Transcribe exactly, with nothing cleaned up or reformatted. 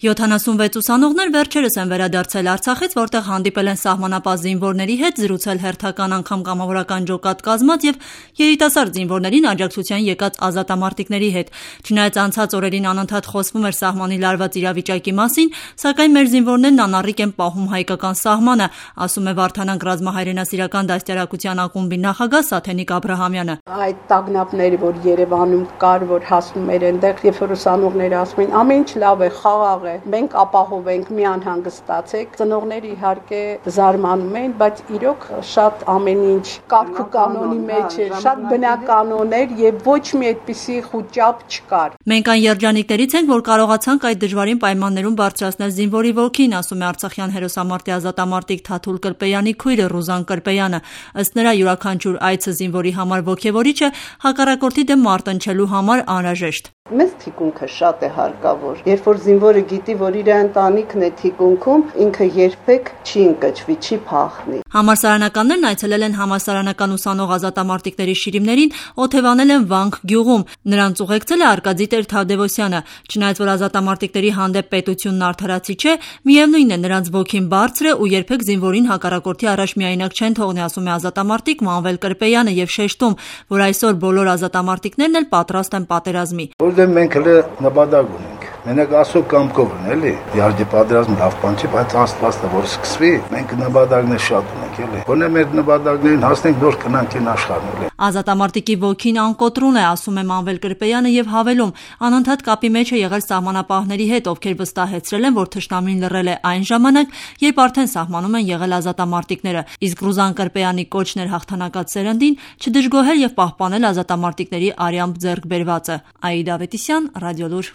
յոթանասունվեց ուսանողներ վերջերս են վերադարձել Արցախից, որտեղ հանդիպել են սահմանապահ զինվորների հետ, զրուցել հերթական անգամ կամավորական ջոկատ կազմած եւ երիտասարդ զինվորներին աջակցության եկած ազատամարտիկների հետ։ Չնայած անցած օրերին անընդհատ խոսվում էր սահմանի լարված իրավիճակի մասին, սակայն մեր զինվորներն անառիկ են պահում հայկական սահմանը, ասում է Վարդանանք ռազմահայրենասիրական դաստիարակության ակումբի նախագահ Սաթենիկ Աբրահամյանը։ Այդ տագնապները, որ Երևանում կար, որ հասնում էր այնտեղ, երբ որ ուսանողները ասում են, ամեն ինչ լավ է, խաղաղ է, մենք ապահովենք, մի անհանգստացեք։ Ծնողները իհարկե զարմանում են, բայց իրոք շատ ամեն ինչ կարգ ու կանոնի մեջ էր, շատ բնականon էր եւ ոչ մի այդպիսի խուճապ չկար։ Մենք այն երջանիկներից ենք, որ կարողացանք այդ դժվարին պայմաններում բարձրացնել զինվորի ոգին, ասում է Արցախյան հերոսամարտի ազատամարտիկ Թաթուլ Կրպեյանի քույրը Ռուզան Կրպեյանը։ Ըստ նրա, յուրաքանչյուր այցը զինվորի համար ոգևորիչ է, հակառակորդի դեմ մարտնչելու համար անհրաժեշտ։ Մեզ թիկունքը շատ է հարկավոր։ Երբ որ զինվորը գիտի, որ իր ընտանիքն է թիկունքում, ինքը երբեք չի ընկճվի, չի փախնի։ Համալսարանականներն այցելել են համալսարանական ուսանող ազատամարտիկների շիրիմներին, օթևանել են Վանք գյուղում։ Նրանց ուղեկցել է Արկադի Տեր-Թադևոսյանը։ Չնայած որ ազատամարտիկների հանդեպ պետությունն արդարացի չէ, միևնույն է, նրանց ոգին բարձր է ու երբեք զինվորին հակառակորդի առաջ միայնակ չեն թողնի, ասում է ազատամարտիկ Մանվել Կրպեյանը եւ շեշտում, որ այսօր բոլոր ազատամարտիկներն էլ պատրաստ են պատերազմի։ Որտեղ մենք հենց նպատակ ունենք։ Մենակ ասո կամքով են, էլի։ Իհարկե պատերազմը լավ բան չի, բայց Աստվածը որ սկսվի, մենք նպատակներ շատ ունենք, էլի։ Որն է մեր նպատակներին հասնենք, որ կնանք այն աշխարհն, էլի։ Ազատամարտիկի ոգին անկոտրուն է, ասում է Մանվել Կրպեյանը եւ հավելում, անընդհատ կապի մեջ է եղել սահմանապահների հետ, ովքեր վստահեցրել են, որ թշնամին լռել է այն ժամանակ, երբ արդեն սահմանում են եղել ազատամարտիկները։ Իսկ Ռուզան Կրպեյանի կոչն էր հաղթանակած սերնդին չդժգոհել եւ պահպանել ազատամարտիկների արյամբ ձեռք բերվածը։ Աիդա Ավետիսյան, Ռադիոլուր։